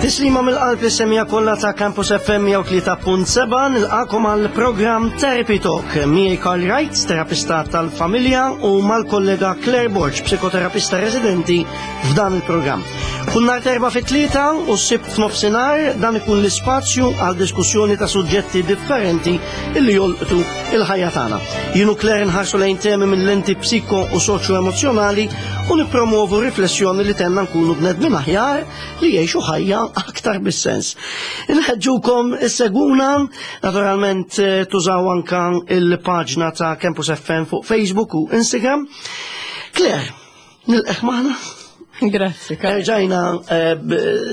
Tislima mill-qalb li semija kollha ta' Campus FM 103.7 nilqakom għal programm Therapy Talk. Miej Karl Wright, terapista tal-familja u mal-kollega Claire Borg, psikoterapista residenti f'dan il-programm. Kull nhar terba fit-tlieta u s-sibt f'nofsinhar dan ikun l-ispazju għal diskussjoni ta' suġġetti differenti illi jolqtu il-ħajja tagħna. Jien u Claire nħarsu lejn temi minn lenti psiko u soċjo-emozzjonali u nippromovu riflessjoni li tenna nkunu bnedmin aħjar li jgħixu ħajja aktar bis-sens. Inħeġġukom issegwuna, naturalment eh, tużaw anka il-paġna ta' Campus FM fuq Facebook u Instagram. Claire, Nilqek maħna. Grazzi. Ġajna, eh,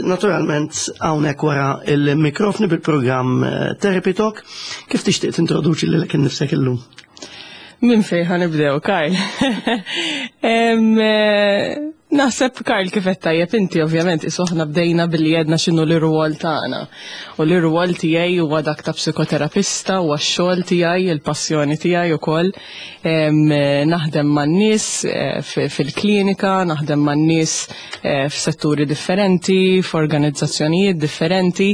naturalment, hawnhekk wara il-mikrofni bil-programm eh, Therapy Talk. Kif tixtieq tintroduċi lilek innifsek illum? Min fejn ħanibdew, Karl? Eh, naħseb Karl kif qed tajjeb inti ovvjament isuħna bdejna billi għedna x'inhu l-irwol tagħna. U l-irwol tiegħi huwa dak ta' psikoterapista huwa x-xogħol tiegħi, il-passjoni tiegħi ukoll. Naħdem man-nies eh, fil-klinika, naħdem man-nies eh, f'setturi differenti, f'organizzazzjonijiet differenti,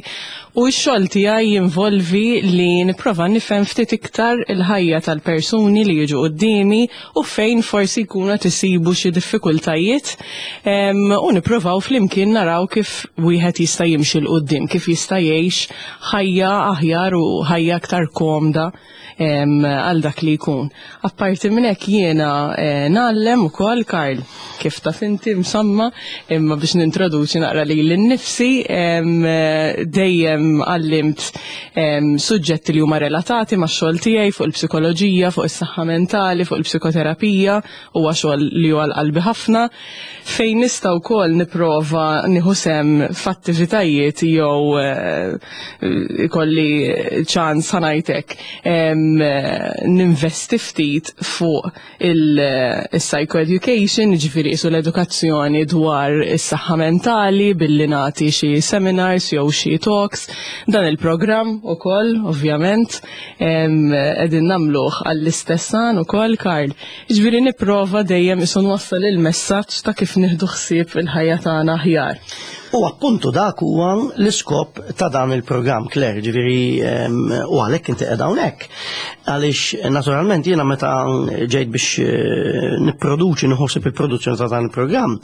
u x-xogħol tiegħi jinvolvi li nipprova nifhem ftit iktar il-ħajja tal-persuni li jiġu quddiemi u fejn forsi jkunu qed isibu xi diffikultajiet u nipprovaw flimkien naraw kif wieħed jista' jimxi 'l quddiem, kif jista' jgħix ħajja aħjar u ħajja aktar komda għal dak li jkun. Apparti minn hekk jiena eh, ngħallem ukoll Karl kif taf inti msomma imma biex nintroduċi naqra lili nnifsi dejjem għallimt suġġetti li huma relatati max-xogħol tiegħi fuq il-psikoloġija, fuq is-saħħa mentali, fuq il-psikoterapija, huwa xogħol li huwa għal qalbi ħafna fejn nista' wkoll nipprova nieħu sehem f'attivitajiet jew eh, ikolli ċans ħanajtek ninvesti ftit fuq il-psychoeducation, ġifieri isu l-edukazzjoni dwar is-saħħa mentali billi nagħti xi seminars jew xi talks. Dan il-programm ukoll, ovvjament, qegħdin nagħmluh għall-istess għan ukoll, Karl. Jiġifieri nipprova dejjem isu nwassal il-messaġġ ta' kif nieħdu ħsieb il-ħajja tagħna aħjar. U appuntu dak huwa l-iskop ta' dan il-programm, Claire, ġifieri u għalhekk inti qiegħda hawnhekk. Għaliex naturalment jiena meta ġejt biex eh, nipproduċi nħossib il-produzzjoni ta' dan il-programm,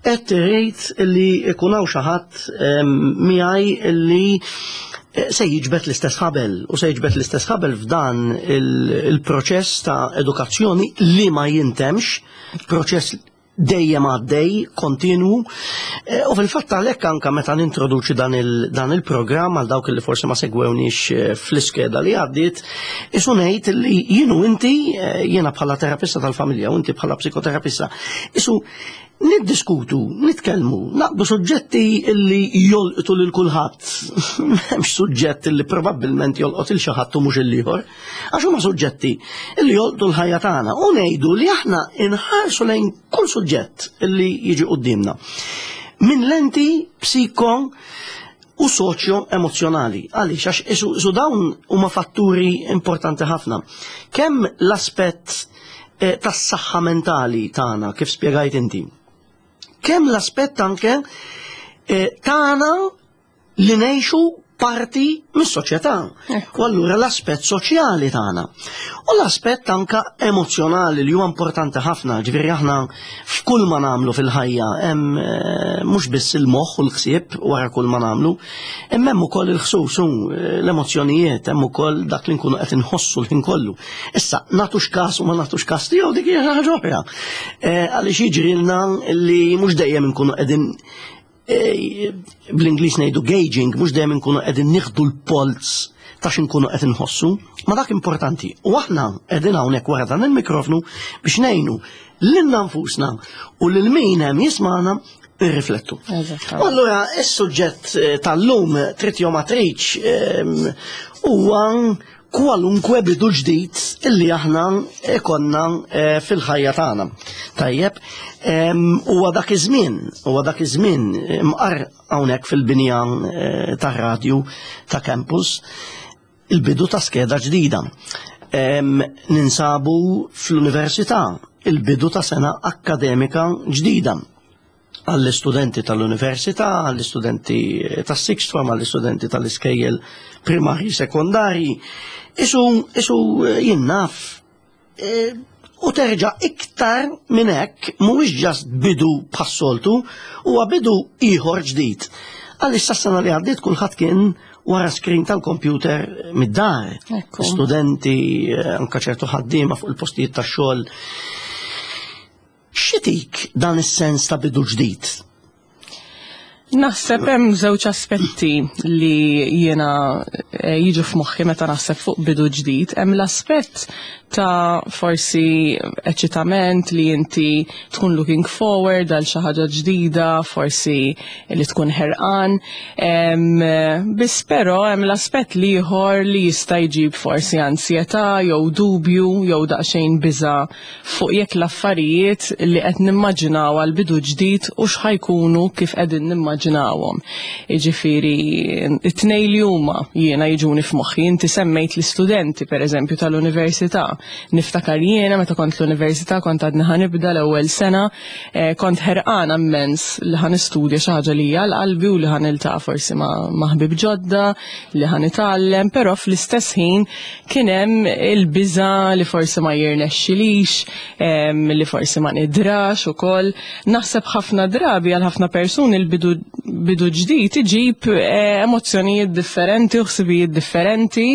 qed irrid li ikun hawn xi ħadd miegħi li eh, se jiġbed l-istess ħabel u se jiġbed l-istess ħabel f'dan il-proċess ta' edukazzjoni li ma jintemx, proċess dejjem għaddej, kontinwu, eh, u fil-fatt għalhekk anka meta nintroduċi dan il-programm għal dawk li forsi ma segwewniex eh, fl-iskeda li għaddiet, isu ngħid li jienu inti, jiena bħala terapista tal-familja u inti bħala psikoterapista, isu Niddiskutu, nitkellmu, naqbdu suġġetti illi jolqtu lil kulħadd. M'hemmx suġġett illi probabbilment jolqot il xi ħadd u mhux il-ieħor. Għax huma suġġetti illi jolqtu l-ħajja tagħna u ngħidu li aħna inħarsu lejn kull suġġett illi jiġi quddiemna. Minn lenti psiko u soċjo emozjonali. Għaliex għax isu dawn huma fatturi importanti ħafna. Kemm l-aspett eh, tas-saħħa mentali tagħna kif spjegajt inti. Kemm l-aspett anke eh, tagħna li ngħixu parti mis-soċjetà. U allura l-aspett soċjali tagħna. U l-aspett anka emozjonali li huwa importanti ħafna, ġifieri aħna f'kull ma nagħmlu fil-ħajja hemm eh, mhux biss il-moħħ u l-ħsieb wara kull ma nagħmlu, imma hemm ukoll il-ħsus l-emozzjonijiet, hemm ukoll dak li nkunu qed inħossu l-ħin kollu. Issa, nagħtux każ u ma nagħtux każ tiegħu dik hija ħaġa oħra. Eh, għaliex jiġrilna li mhux dejjem inkunu qegħdin eh, bl-Ingliż ngħidu gauging, mhux dejjem inkunu qegħdin nieħdu l-polz ta' x'inkunu qed inħossu, ma dak importanti. U aħna qegħdin hawnhekk wara dan il-mikrofnu biex ngħinu lilna nfusna u lil min hemm jismagħna irriflettu. U allura is-suġġett eh, tal-lum trid jew ma tridx ehm, huwa kwalunkwe bidu ġdid illi aħna ikonna eh, fil-ħajja tagħna. Tajjeb, huwa dak iż-żmien, huwa dak iż-żmien mqar hawnhekk fil-binja eh, tar-radju ta' campus il-bidu ta' skeda ġdida. Ninsabu fl-università, il-bidu ta' sena akkademika ġdida. għall-istudenti tal-università, għall-istudenti tas-sixth form, għall-istudenti tal-iskejjel primarji, sekondarji. Isu, isu jien naf, u terġa' iktar minn hekk mhuwiex just bidu bħas-soltu, huwa bidu ieħor ġdid. Għaliex sas-sena li għaddiet kulħadd kien wara screen tal-computer mid-dar. Studenti, anka ċertu ħaddiema fuq il-postijiet tax-xogħol. X'itik dan is-sens ta' bidu ġdid? Naħseb hemm żewġ aspetti li jiena jiġu f'moħħi meta naħseb fuq bidu ġdid. Hemm l-aspett ta' forsi eċitament li inti tkun looking forward għal xi ħaġa ġdida, forsi li tkun ħerqan. Biss però hemm l-aspett l-ieħor li jista' jġib forsi ansjetà jew dubju jew daqsxejn biża' fuq jekk l-affarijiet li qed nimmaġinaw għal bidu ġdid u x'ħa jkunu kif qegħdin nimmaġinawhom. Jiġifieri it-tnejn li huma jiena jiġuni f'moħħi, inti semmejt l-istudenti pereżempju tal-università. Niftakar jiena meta kont l-università kont għadni ħa nibda l-ewwel sena, kont ħerqana immens li ħa nistudja xi ħaġa li hija għal qalbi u li ħa niltaqa' forsi ma' ħbieb ġodda, li ħa nitgħallem, però fl-istess ħin kien hemm il-biża' li forsi ma jirnexxilix, li forsi ma nidrax ukoll. Naħseb ħafna drabi għal ħafna persuni l-bidu bidu ġdid iġib emozzjonijiet differenti u ħsibijiet differenti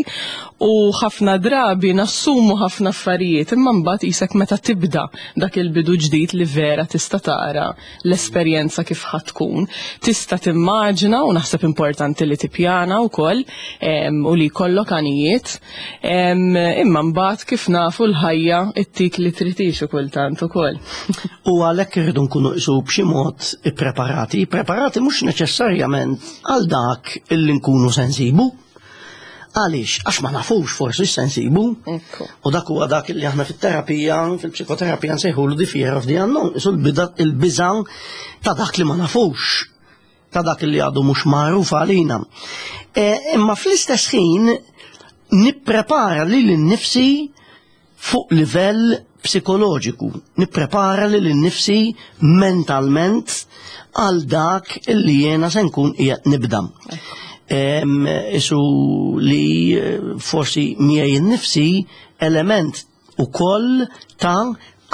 u ħafna drabi nassumu ħafna affarijiet imma mbagħad qisek meta tibda dak il-bidu ġdid li vera tista' tara l-esperjenza kif ħa tkun. Tista' timmaġina u naħseb importanti li tippjana wkoll u li jkollok għanijiet, imma mbagħad kif nafu l-ħajja ttik li trid hi xi kultant ukoll. U għalhekk irridu nkunu qisu b'xi mod ippreparati, ippreparati mhux neċessarjament għal dak illi nkunu se nsibu. Għaliex? Għax ma nafux forsi x'se nsibu. U dak huwa dak li aħna fit-terapija, fil-psikoterapija nsejħulu the fear of the unknown, isu l-biża' ta' dak li ma nafux, ta' dak li għadu mhux magħruf għalina. Imma fl-istess ħin nipprepara lili nnifsi fuq livell psikoloġiku, nipprepara lili nnifsi mentalment għal dak li jiena se nkun qiegħed nibda. Isu li forsi miegħi nnifsi element ukoll ta'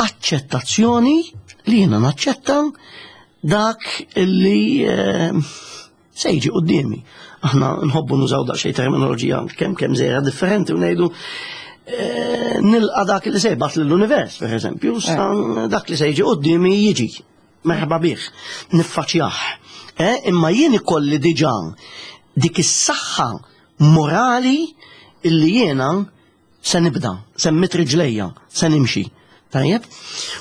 aċċettazzjoni li jiena naċċetta dak li se jiġi quddiemi. Aħna nħobbu nużaw daqsxejn terminoloġija kemm kemm żejra differenti u ngħidu nilqa' dak li se jibgħat lill-univers, per eżempju, dak li se jiġi quddiemi jiġi. Merħba bih, niffaċjah. Imma jien ikolli diġà dik is-saħħa morali illi jiena se nibda, se mmit riġlejja, se nimxi. Tajjeb?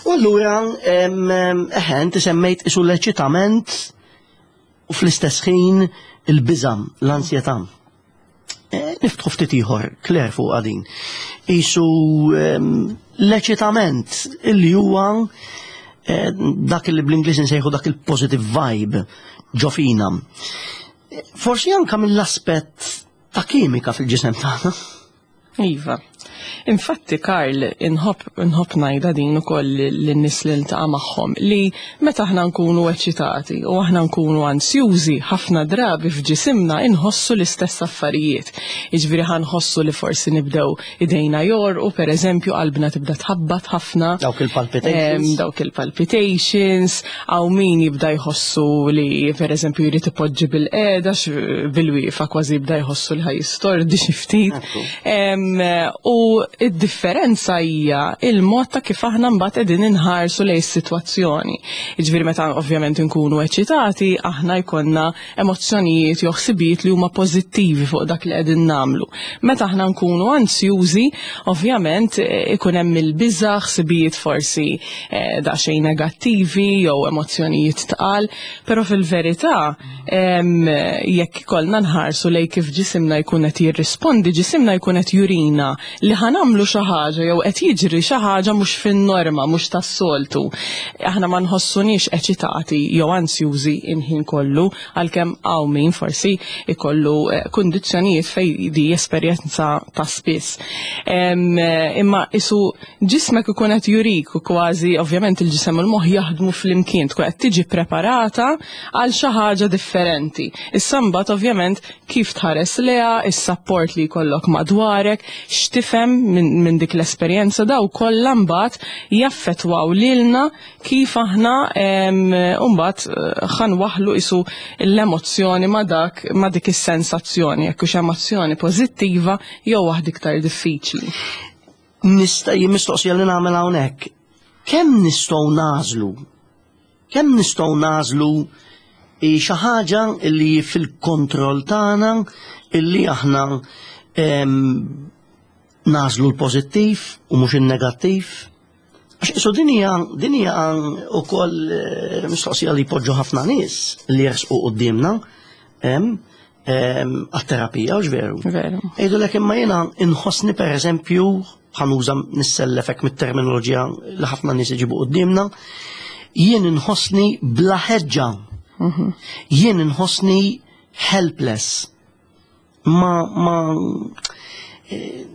U allura eħe, inti semmejt isu l-eċitament u fl-istess ħin il-biża', l-ansjetà. Niftħu ftit ieħor, Claire, fuq din. Isu l-eċitament illi huwa dak li bl-Ingliż nsejħu dak il-positive vibe ġo fina. Forsi anka mill-aspett ta' kimika fil-ġisem tagħna. Iva. Infatti, Karl, inħobb inħobb ngħidha din ukoll lin-nies li niltaqa' magħhom li meta aħna nkunu eċitati u aħna nkunu ansjużi, ħafna drabi f'ġisimna inħossu l-istess affarijiet. Jiġifieri ħa nħossu li forsi nibdew idejna jorqu, per eżempju, qalbna tibda tħabbat ħafna. Dawk il-palpitations. Dawk il-palpitations, hawn min jibda jħossu li per eżempju jrid ipoġġi bil-qiegħda bil-wieqfa kważi jibda jħossu li ħa jistordi xi ftit. U id-differenza hija il-mod ta' kif aħna mbagħad qegħdin inħarsu lejn is-sitwazzjoni. Jiġifieri meta ovvjament inkunu eċitati, aħna jkollna emozzjonijiet jew ħsibijiet li huma pożittivi fuq dak li qegħdin nagħmlu. Meta aħna nkunu ansjużi, ovvjament ikun hemm il-biża', ħsibijiet forsi daqsxejn negattivi jew emozzjonijiet tqal, però fil-verità jekk ikollna nħarsu lejn kif ġisimna jkun qed jirrispondi, ġisimna jkun qed jurina li ħa nagħmlu nagħmlu xi ħaġa jew qed jiġri xi ħaġa mhux fin-norma, mhux tas-soltu. Aħna ma nħossuniex eċitati jew ansjużi il-ħin kollu, għalkemm hawn min forsi ikollu eh, kundizzjonijiet fejn di esperjenza ta' spiss. Eh, imma isu ġismek ikun qed jurik u kważi ovvjament il-ġisem u l-moħħ jaħdmu flimkien tkun qed tiġi preparata għal xi ħaġa differenti. Issa mbagħad ovvjament kif tħares leha, is-sapport li jkollok madwarek, x'tifhem minn min dik l-esperjenza daw kollha mbagħad jaffettwaw lilna kif aħna mbagħad eh, ħanwaħlu isu l-emozzjoni ma dak ma dik is-sensazzjoni, jekk hux emozzjoni pożittiva jew waħda iktar diffiċli. Nista' mistoqsija li nagħmel hawnhekk. Kemm nistgħu nażlu Kemm nistgħu nagħżlu xi ħaġa li fil-kontroll tagħna illi aħna nagħżlu l-pożittiv u mhux in-negattiv? Għax isu din hija din hija wkoll eh, mistoqsija li jpoġġu ħafna nies li jersqu quddiemna għat-terapija, u veru. Veru. Jgħidulek imma jiena inħossni pereżempju ħanuża nissellefek mit-terminoloġija li ħafna nies iġibu quddiemna, jien inħossni bla ħeġġa. Mhm. Jien inħossni helpless. Ma ma eh,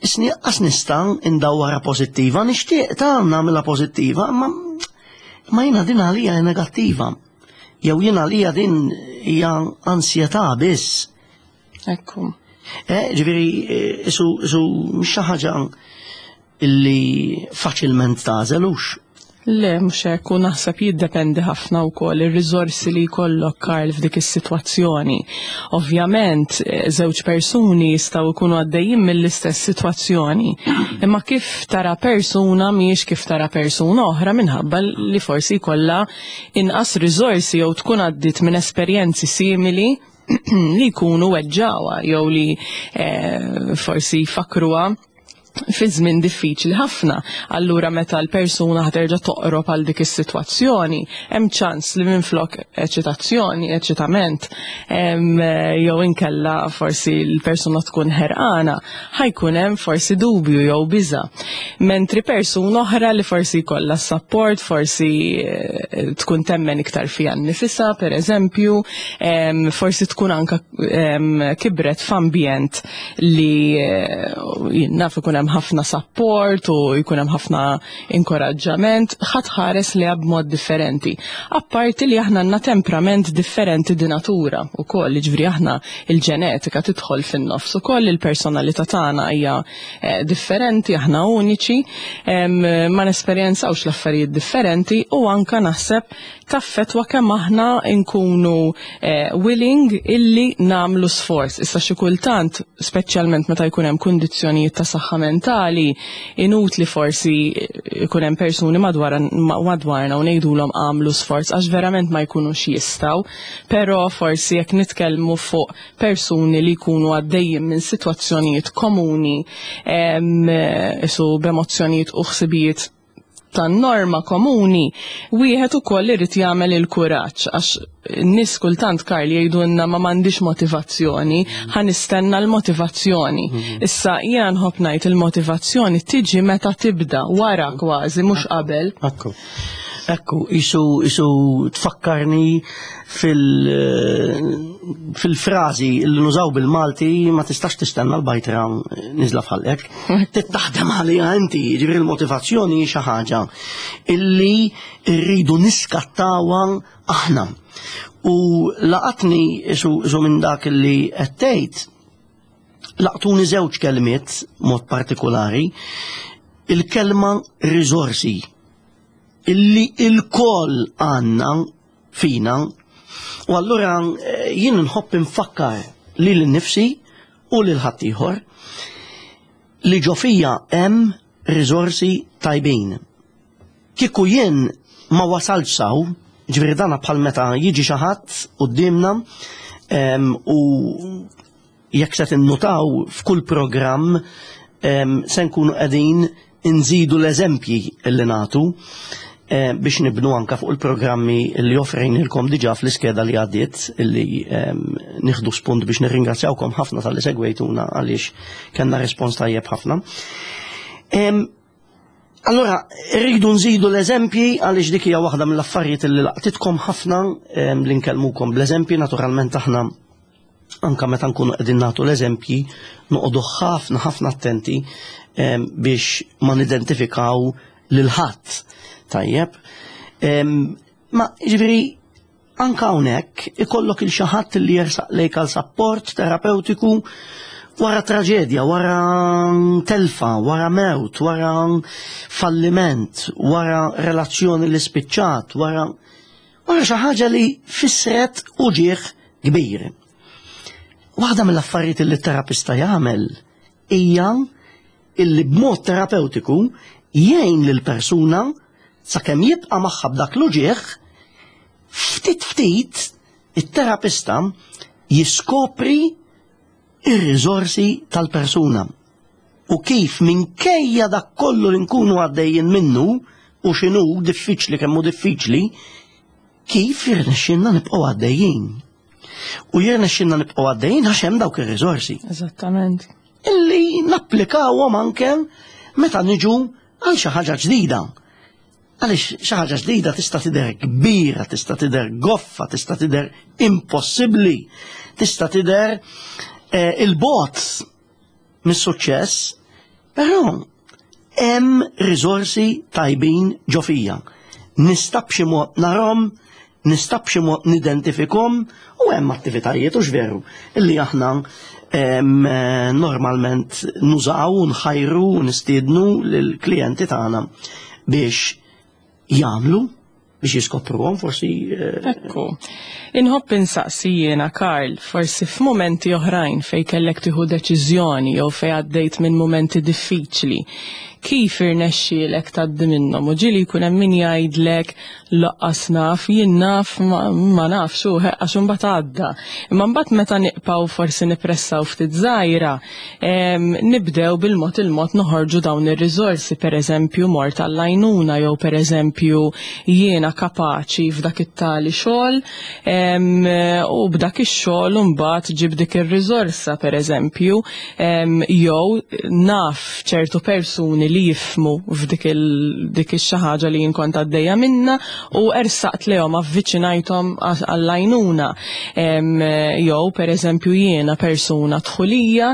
isni qas nista' indawwara pożittiva, nixtieq ta' nagħmilha pożittiva, ma ma jiena din għalija negattiva. Jew jien għalija din hija ansjetà biss. Ekku. Eh, ġifieri, eh, isu isu mhix xi ħaġa illi faċilment tagħżel hux. Le, mhux hekk, u naħseb jiddependi ħafna wkoll ir-riżorsi li jkollok Karl f'dik is-sitwazzjoni. Ovvjament, eh, żewġ persuni jistgħu jkunu għaddejjin mill-istess sitwazzjoni, imma kif tara persuna mhijiex kif tara persuna oħra minħabba li forsi jkollha inqas riżorsi jew tkun għaddiet minn esperjenzi simili li jkunu weġġawha jew li eh, forsi jfakruha fi żmien diffiċli ħafna. Allura meta l-persuna ħaterġa' toqrob għal dik is-sitwazzjoni, hemm ċans li minflok eċitazzjoni, eċitament, jew inkella forsi l-persuna tkun ħerqana, ħajkun hemm forsi dubju jew biża. Mentri persuna oħra li forsi jkollha support, forsi eh, tkun temmen iktar fiha nnifisha, per eżempju, forsi tkun anka kibret f'ambjent li eh, naf ikun hemm ħafna support u jkun hemm ħafna inkoraġġament, ħadd ħares li b'mod differenti. Apparti li aħna għandna temperament differenti di natura wkoll, jiġifieri aħna il-ġenetika tidħol fin-nofs ukoll il-personalità tagħna hija eh, differenti, aħna uniċi, ma nesperjenzawx l-affarijiet differenti u anka naħseb taffetwa kemm aħna nkunu eh, willing illi namlu sforz. Issa xi kultant, speċjalment meta jkun hemm kundizzjonijiet ta' saħħa mentali, inutli forsi jkun hemm persuni madwarna u ngħidulhom għamlu sforz għax verament ma jkunux jistgħu, però forsi jekk nitkellmu fuq persuni li jkunu għaddejjin minn sitwazzjonijiet komuni isu b'emozzjonijiet u ħsibijiet tan-norma komuni, wieħed ukoll irid jagħmel il-kuraġġ għax n-nies kultant Karl jgħidulna ma m'għandix motivazzjoni, ħa nistenna l-motivazzjoni. Mhm. Issa jiena nħobb ngħid il-motivazzjoni tiġi meta tibda wara kważi mhux qabel. Ekku. Ekku, isu isu tfakkarni fil fil-frażi li nużaw bil-Malti ma tistax tistenna l-bajtra niżla f'ħalqek. Tittaħdem għaliha inti, ġifieri l-motivazzjoni hi xi ħaġa illi rridu niskattawha aħna. U laqatni isu minn dak li qed tgħid laqtuni żewġ kelmiet mod partikolari, il-kelma riżorsi illi il-koll għanna fina u allura eh, jien nħobb infakkar lil nifsi u lil ħaddieħor li ġo fija hemm riżorsi tajbin. Kieku jien ma wasaltx saw, ġifieri dana bħal meta jiġi xi ħadd quddiemna u jekk se tinnutaw f'kull programm se nkunu qegħdin inżidu l-eżempji li nagħtu biex nibnu anka fuq il-programmi li offrejnilkom diġà fl-iskeda li għaddiet li nieħdu spunt biex nirringrazzjawkom ħafna tal-li segwejtuna għaliex kellna respons tajjeb ħafna. Allora, rridu nżidu l-eżempji għaliex dik hija waħda mill-affarijiet li laqtitkom ħafna li nkellmukom bl-eżempji, naturalment aħna anka meta nkunu qegħdin nagħtu l-eżempji noqogħdu ħafna ħafna attenti biex ma nidentifikaw lil ħadd. Tajjeb. Ma ġifieri anka hawnhekk ikollok il xi ħadd li jersaq lejk għal sapport terapeutiku wara traġedja, wara telfa, wara mewt, wara falliment, wara relazzjoni li spiċċat, wara wara xi ħaġa li fissret uġieħ kbir. Waħda mill-affarijiet li t-terapista jagħmel hija illi b'mod terapeutiku jgħin lil persuna sakemm jibqa' magħha b'dak l-uġieħ, ftit ftit it-terapista jiskopri ir-riżorsi tal-persuna u kif minkejja dak kollu li nkunu għaddejjin minnu u x'inhu diffiċli kemm hu diffiċli, kif jirnexxinna nibqgħu għaddejjin. U jirnexxinna nibqgħu għaddejjin għax hemm dawk ir-riżorsi. Eżattament. Illi napplikawhom anke meta niġu għal xi ħaġa ġdida. Għaliex xi ħaġa ġdida tista' tidher kbira, tista' tidher goffa, tista' tidher impossibbli, tista' tidher eh, il-bot mis-suċċess, però hemm riżorsi tajbin ġo fija. Nista' b'xi mod narhom, nista' b'xi mod nidentifikhom u hemm attivitajiet u veru illi aħna eh, normalment nużaw u nħajru u nistiednu lill-klijenti tagħna biex jagħmlu biex jiskopruhom forsi. Eh, Ekku. Inħobb insaqsi jiena Karl, forsi f'mumenti oħrajn fejn kellek tieħu deċiżjoni jew fejn għaddejt minn mumenti diffiċli, kif irnexxielek tgħaddi minnhom u ġieli jkun hemm min jgħidlek laqqas naf, jien naf ma nafx u għax imbagħad għadda. Imma mbagħad meta niqpaw forsi nippressaw ftit żgħira, nibdew bil-mod il-mod noħorġu dawn ir-riżorsi, pereżempju mort għall-għajnuna jew pereżempju jiena kapaċi f'dak it-tali xogħol u b'dak ix-xogħol imbagħad ġib dik ir-riżorsa pereżempju jew naf ċertu persuni li jifhmu f'dik dik ix-xi ħaġa li jien kont għaddejja minnha u ersaqt lejhom avviċinajthom għall-għajnuna. Jew pereżempju jiena persuna dħulija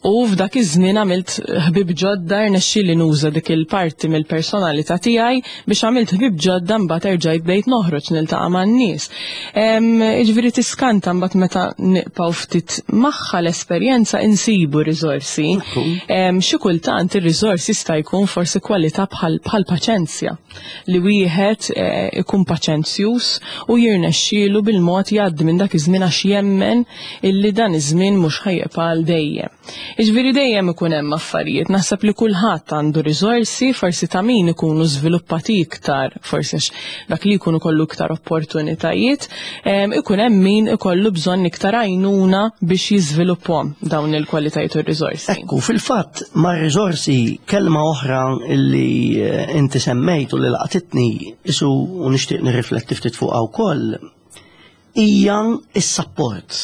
u f'dak iż-żmien għamilt ħbieb ġodda rnexxieli nuża dik il-parti mill-personalità tiegħi biex għamilt ħbieb ġodda mbagħad erġajt bdejt noħroġ niltaqa' man-nies. Jiġifieri tiskanta mbagħad meta nibqgħu ftit magħha l-esperjenza insibu riżorsi. Xi kultant ir-riżors jista' jkun forsi kwalità bħal paċenzja. li wieħed eh, ikun paċenzjuż u jirnexxielu bil-mod jgħaddi minn dak iż-żmien għax jemmen illi dan iż-żmien mhux ħajjibqa' għal dejjem. Jiġifieri dejjem ikun hemm affarijiet, naħseb li kulħadd għandu riżorsi, forsi ta' min ikunu żviluppati iktar, forsi għax dak li jkun ikollu iktar opportunitajiet, ikun hemm min ikollu bżonn iktar għajnuna biex jiżviluppahom dawn il-kwalitajiet u r-riżorsi. Ekku, fil-fatt mar-riżorsi kelma oħra li eh, inti semmejt u li laqtitni isu u nixtieq nirrifletti ftit fuqha wkoll hija s-sapport.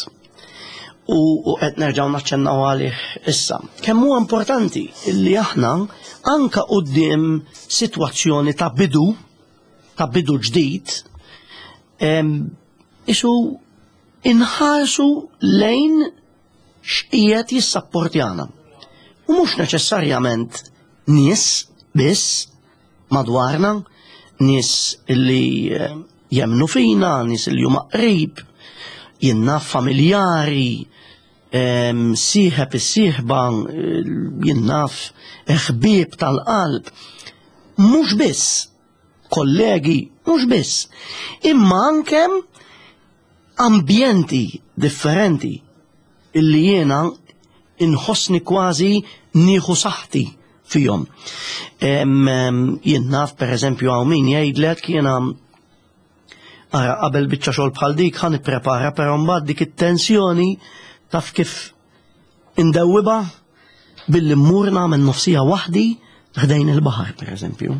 U qed nerġgħu naċċennaw għalih issa. Kemm huwa importanti li aħna anka quddiem sitwazzjoni ta' bidu ta' bidu ġdid isu inħarsu lejn x'qiegħed jissapportjana. U mhux neċessarjament nies biss madwarna, nies li eh, jemnu fina, nies li huma qrib, jien naf familjari, sieħeb is-sieħba, eh, jien naf ħbieb tal-qalb. Mhux biss kollegi, mhux biss, imma anke ambjenti differenti illi jiena inħossni kważi nieħu saħħti fihom. Jien naf pereżempju hawn min jgħidlek jiena ara qabel biċċa xogħol bħal dik ħa nipprepara però mbagħad dik it-tensjoni taf kif indewwibha billi mmur nagħmel nofsija waħdi ħdejn il-baħar pereżempju.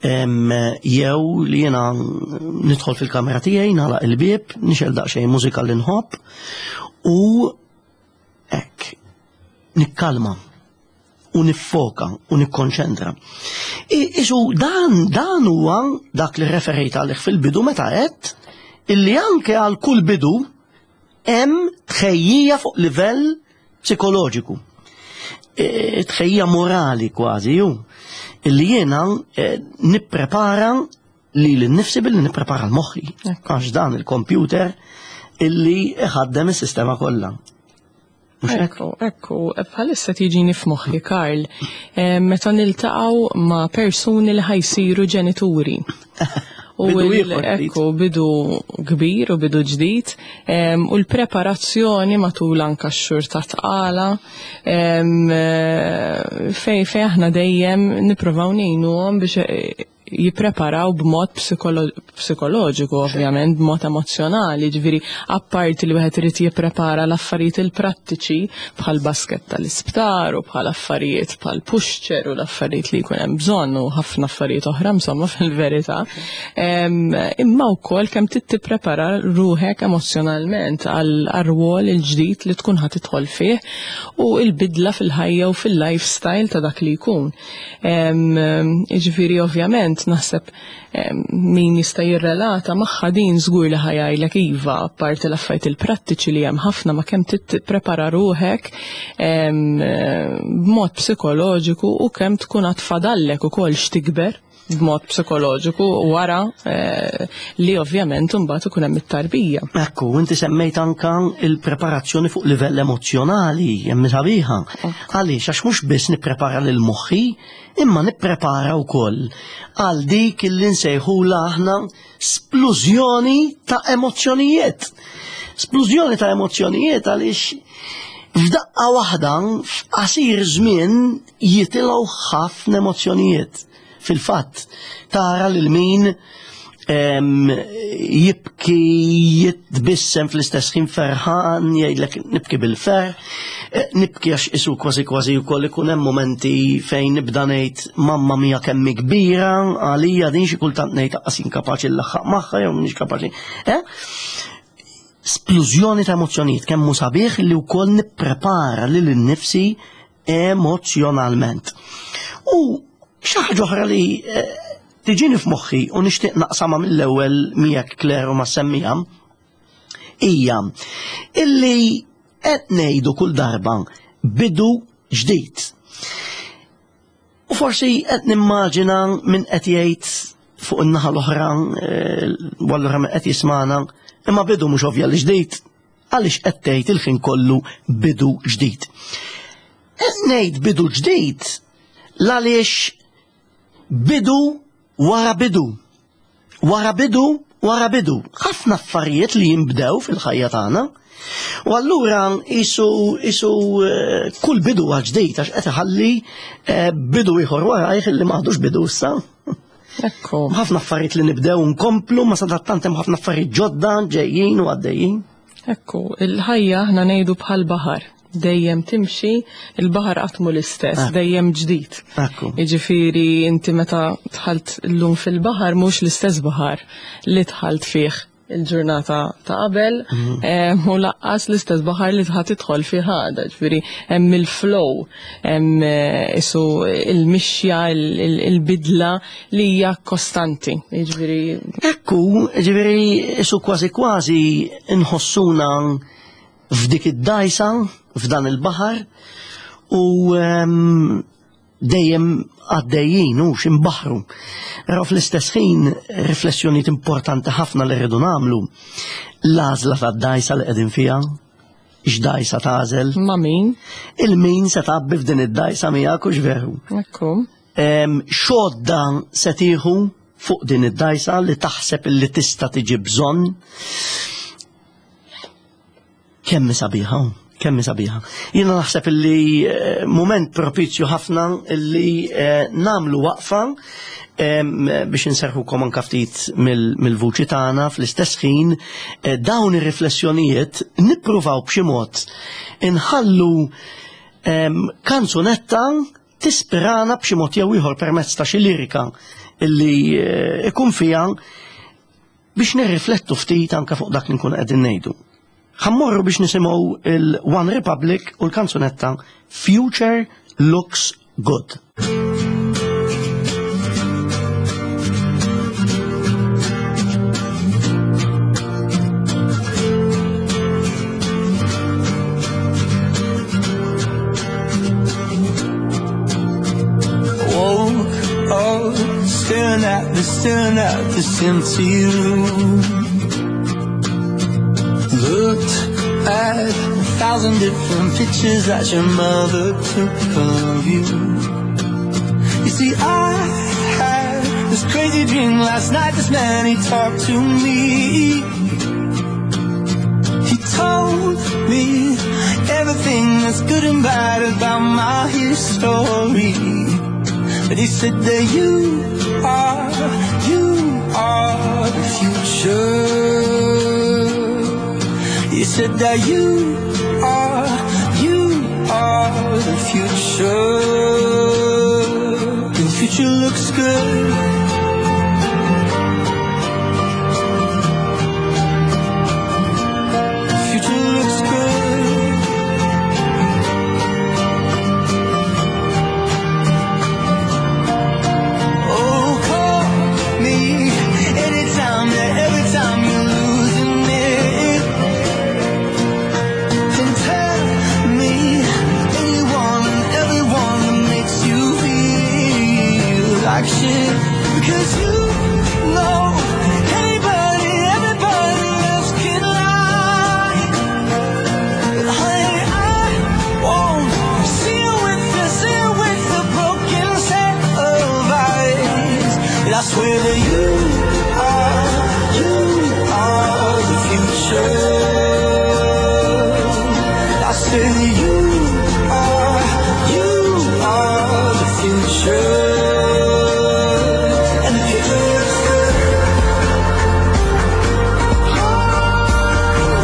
Jew li jiena nidħol fil-kamra tiegħi nagħlaq il-bieb, nixgħel daqsxejn mużika li nħobb u hekk nikkalma. u niffoka u nikkonċentra. Isu dan dan huwa dak li referejt għalih fil-bidu meta għedt illi anke għal kull bidu hemm tħejjija fuq livell psikoloġiku. E, tħejjija morali kważi ju illi jiena e, nipprepara li l-nifsi billi nipprepara l-moħħi. Għax dan il-kompjuter illi iħaddem is-sistema kollha. Ekku, ekku, bħalissa tiġini f'moħħi Karl, eh, meta niltaqgħu ma' persuni li ħajsiru ġenituri. U ekku, bidu kbir u bidu ġdid, u l-preparazzjoni matul anka x-xhur ta' tqala, eh, fej fej aħna dejjem nippruvaw ngħinuhom biex eh, jippreparaw b'mod psikoloġiku ovvjament, b'mod emozzjonali, ġifieri apparti li wieħed irid jipprepara l-affarijiet il-prattiċi bħal basket tal-isptar u bħal affarijiet bħal pushchair u l-affarijiet li jkun hemm bżonn u ħafna affarijiet oħra insomma fil-verità. Imma wkoll kemm trid tipprepara ruħek emozzjonalment għal rwol il-ġdid li tkun ħa tidħol fih u l-bidla fil-ħajja u fil-lifestyle ta' dak li jkun. Jiġifieri ovvjament naħseb min jista' jirrelata magħha din żgur li ħa jgħidlek iva, apparti l-affarijiet il-prattiċi li hemm ħafna ma kemm tipprepara ruħek b'mod psikoloġiku u kemm tkun għad fadallek ukoll x'tikber b'mod psikoloġiku wara eh, li ovvjament imbagħad ikun hemm it-tarbija. Ekku, inti semmejt anka il-preparazzjoni fuq livell emozzjonali, hemm sabiħa. Għaliex għax mhux biss nipprepara lil moħħi, imma nipprepara wkoll għal dik li nsejħula aħna splużjoni ta' emozzjonijiet. Splużjoni ta' emozzjonijiet għaliex f'daqqa waħda f'qasir żmien jitilgħu ħafna emozzjonijiet. Fil-fatt, tara lil min jibki jitbissem fl-istess ħin ferħan, jgħidlek nibki bil-ferħ, eh, nibki għax isu kważi kważi wkoll ikun hemm momenti fejn nibda ngħid mamma mia kemm kbira, għalija din xi kultant ngħid aqas inkapaċi nlaħħaq magħha jew mhix kapaċi. Eh? Splużjoni ta' emozzjonijiet kemm hu sabiħ li wkoll nipprepara lil innifsi emozzjonalment. U xi ħaġa oħra li eh, tiġini f'moħħi u nixtieq naqsama mill-ewwel miegħek Claire u ma semmija hija illi qed ngħidu kull darba bidu ġdid. U forsi qed nimmaġina min qed jgħid fuq in-naħa l-oħra eh, u allura min qed jismana, imma bidu mhux ovvja li ġdid. Għaliex qed tgħid il-ħin kollu bidu ġdid? Qed ngħid bidu ġdid l-għaliex bidu wara bidu. Wara bidu wara bidu. Ħafna affarijiet li jinbdew fil-ħajja tagħna. U allura isu isu eh, kull bidu għal ġdid għax qed iħalli eh, bidu ieħor warajh li m'għadux bidu issa. Ekku. Ħafna affarijiet li nibdew nkomplu, ma sadattant hemm ħafna affarijiet ġodda ġejjin u għaddejjin. Ekku, il-ħajja aħna ngħidu bħal baħar. Dejjem timxi, il-baħar qatt mhu l-istess, ah. dejjem ġdid. Ekku. Jiġifieri inti meta dħalt llum fil-baħar mhux l-istess baħar li dħalt fih il-ġurnata ta' qabel mhm. eh, u laqqas l-istess baħar li tħat tidħol fi ħada, ġifieri hemm il-flow, hemm eh, isu il-mixja, il-bidla li hija kostanti, jiġifieri. Ekku, ġifieri isu kważi kważi nħossuna f'dik id-dajsa, f'dan il-baħar u ehm, dejjem għaddejjin u x'imbaħru. Però fl-istess ħin riflessjonijiet importanti ħafna li rridu nagħmlu. L-għażla tad-dajsa li qegħdin fiha, x'dajsa tagħżel. Ma' min? Il-min se tgħabbi f'din id-dajsa miegħek hux veru. Ekku. X'għodda se tieħu fuq din id-dajsa li taħseb li tista' tiġi bżonn. Kemm hi sabiħa, kemm hi sabiħa. Jiena naħseb illi eh, mument propizju ħafna illi eh, namlu waqfa biex inserħukom anka ftit mill-vuċi tagħna fl-istess ħin eh, dawn ir-riflessjonijiet nippruvaw b'xi mod inħallu kanzunetta tispirana b'xi mod jew ieħor permezz ta' xi lirika illi ikun fiha biex nirriflettu ftit anka fuq dak li nkun qegħdin ngħidu. Ħammorru biex nisimgħu il-One Republic u l-kanzunetta Future Looks Good. Woke up, staring at the, staring at this empty room. Looked at a thousand different pictures that your mother took of you. You see, I had this crazy dream last night. This man, he talked to me. He told me everything that's good and bad about my history. But he said that you are, you are the future. He said that you are, you are the future. And the future looks good. The future looks good. Oh, call me anytime, yeah, every time you're losing it. And tell me anyone and everyone that makes you feel like shit. Because you know anybody, everybody else can lie. But honey, I won't see you with the, see you with the broken set of eyes. And I swear that you are, you are the future. I say that you are, you are the future. And the future looks good. The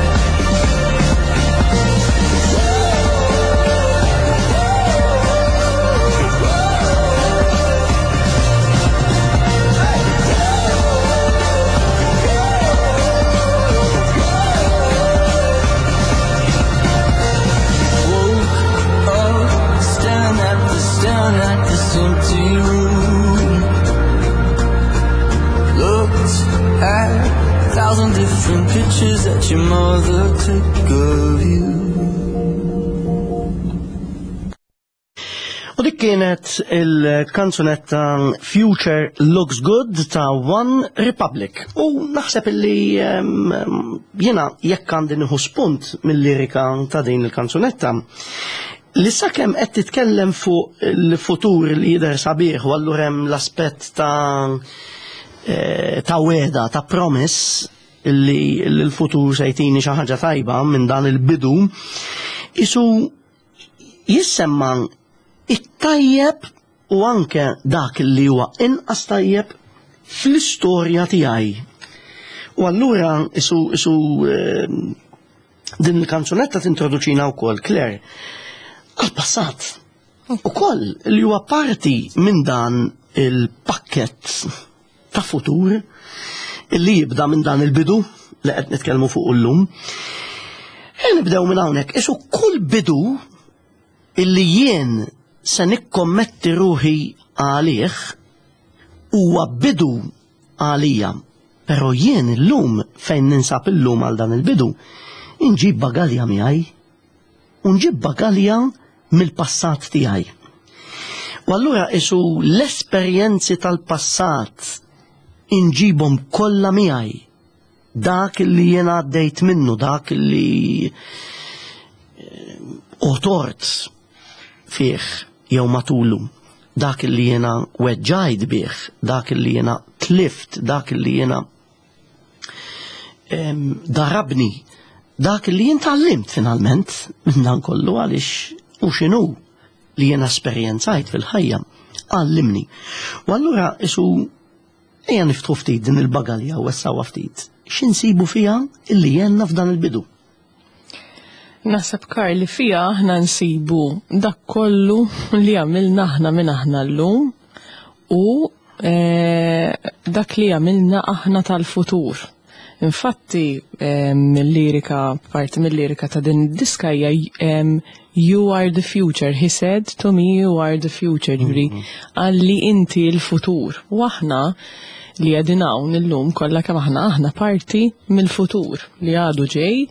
future looks good. Woke up, staring at the, staring at this empty room. Looked at a thousand different pictures that your mother took of you. U dik kienet il-kanzunetta Future Looks Good ta' One Republic. U naħseb illi jiena jekk għandi nieħu spunt mill-lirika ta' din il-kanzunetta, li sakemm qed titkellem fuq il-futur li jidher sabiħ u allura hemm l-aspett ta' wegħda, ta' promise li l-futur se jtini xi ħaġa tajba minn dan il-bidu, isu jissemma it-tajjeb u anke dak li huwa inqas tajjeb fl-istorja tiegħi. U allura isu din il-kanzunetta tintroduċina wkoll, Claire, għal-passat. Ukoll li huwa parti minn dan il-pakket ta' futur li jibda minn dan il-bidu li qed nitkellmu fuq illum. E nibdew minn hawnhekk, isu kull bidu illi jien se nikkommetti ruħi għalih huwa bidu għalija. Però jien illum fejn ninsab illum għal dan il-bidu, inġib bagalja miegħi u nġib bagalja mill-passat tiegħi. U allura isu l-esperjenzi tal-passat inġibhom kollha miegħi. Dak li jiena għaddejt minnu, dak li otort fih jew matulu, dak li jiena weġġajt bih, dak li jiena tlift. tlift, dak li jiena darabni, dak li jien tgħallimt finalment minn dan kollu għaliex u x'inhu li jiena esperjenzajt fil-ħajja għallimni. U allura isu ejja niftħu ftit din il-bagalja u wessawha ftit. X'insibu fiha illi jenna f'dan il-bidu? Naħseb Karl li fiha aħna nsibu dak kollu li għamilna aħna minn aħna llum u eh, dak li għamilna aħna tal-futur. Infatti, mill-lirika, parti mill-lirika ta' din id-diska hija You are the future, he said to me you are the future, ġifieri mhm. għalli inti l-futur. U aħna li qegħdin hawn illum kollha kemm aħna aħna parti mill-futur li għadu ġej,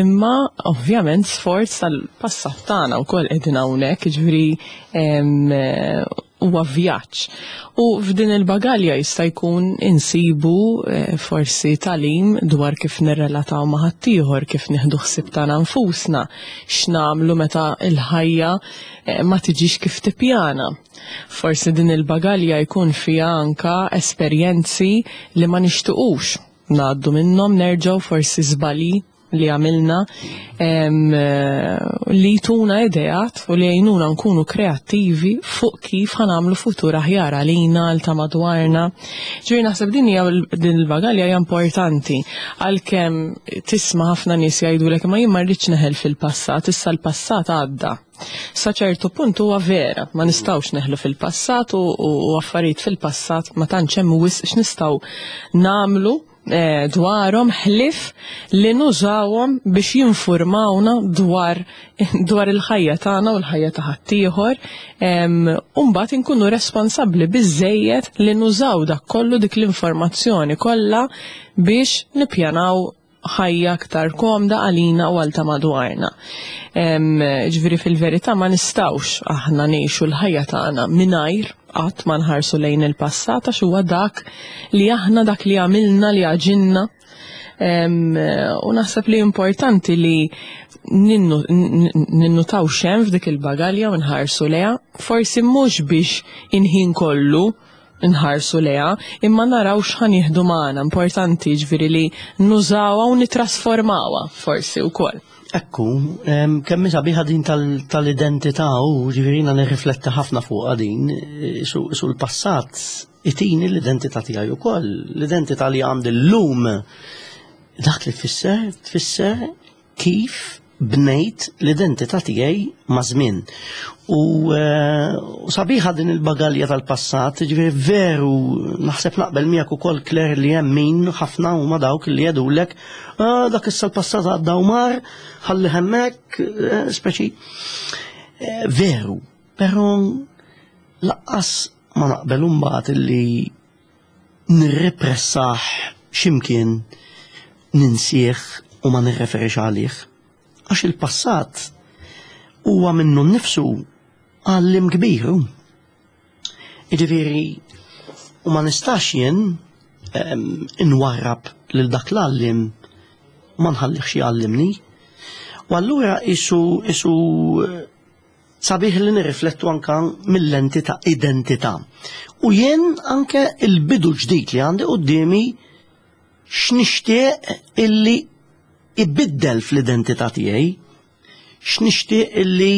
imma ovvjament sforz tal-passat tagħna wkoll qegħdin hawnhekk, ġifieri huwa vjaġġ. U f'din il-bagalja jista' jkun insibu eh, forsi talim dwar kif nirrelataw ma' ħaddieħor, kif nieħdu ħsieb tagħna nfusna, x'nagħmlu meta l-ħajja eh, ma tiġix kif tippjana. Forsi din il-bagalja jkun fiha anka esperjenzi li ma nixtiqux ngħaddu minnhom nerġgħu forsi żbalji li għamilna li jtuna ideat u li jgħinuna nkunu kreattivi fuq kif ħanamlu futur aħjar għalina għal ta' madwarna. Ġifieri naħseb din hija din il-bagalja hija importanti għalkemm tisma' ħafna nies jgħidulek ma jien ma rridx neħel fil-passat, issa l-passat għadda. Sa ċertu punt huwa vera, ma nistgħux neħlu fil-passat u affarijiet fil-passat ma tantx hemm wisq x'nistgħu nagħmlu Eh, dwarhom ħlif li nużawhom biex jinfurmawna dwar dwar il-ħajja tagħna u l-ħajja ta' ħaddieħor u mbagħad inkunu responsabbli biżejjed li nużaw dak kollu dik l-informazzjoni kollha biex nippjanaw ħajja aktar komda għalina u għal ta' madwarna. Ġifieri fil-verità ma nistgħux aħna ngħixu l-ħajja tagħna mingħajr qatt ma nħarsu lejn il-passat għax huwa dak li aħna dak li għamilna li għaġinna. U naħseb li importanti li ninnutaw xem f'dik il-bagalja u nħarsu leha, forsi mhux biex inħin kollu nħarsu leha, imma naraw x'ħa nieħdu magħna, importanti ġifieri li nużawha u nitrasformawha forsi wkoll. Ekku, kemm sabiħa din tal-identità u ġifieri jiena nirrifletti ħafna fuqha din, e, su l-passat itini l-identità tiegħi wkoll, l-identità li għandi llum dak li tfisser, tfisser kif bnejt l-identità tiegħi maż-żmien. U eh, sabiħa din il-bagalja tal-passat, ġifieri veru naħseb naqbel miegħek ukoll Claire li hemm min ħafna huma dawk li jgħidulek ah, dak issa l-passat għadda u mar, ħalli hemmhekk, eh, speċi. Eh, veru, però laqqas ma naqbel imbagħad illi nirrepressah x'imkien ninsih u ma nirreferix għalih. Għax il-passat huwa minnu nnifsu għallim kbir. Jiġifieri u ma nistax jien inwarrab lil dak l-għallim u ma nħallihx jgħallimni. U allura isu isu Sabiħ li nirriflettu anka mill-lenti ta' identità. U jien anke il-bidu ġdid li għandi quddiemi x'nixtieq illi ibiddel fl-identità tiegħi, x'nixtieq illi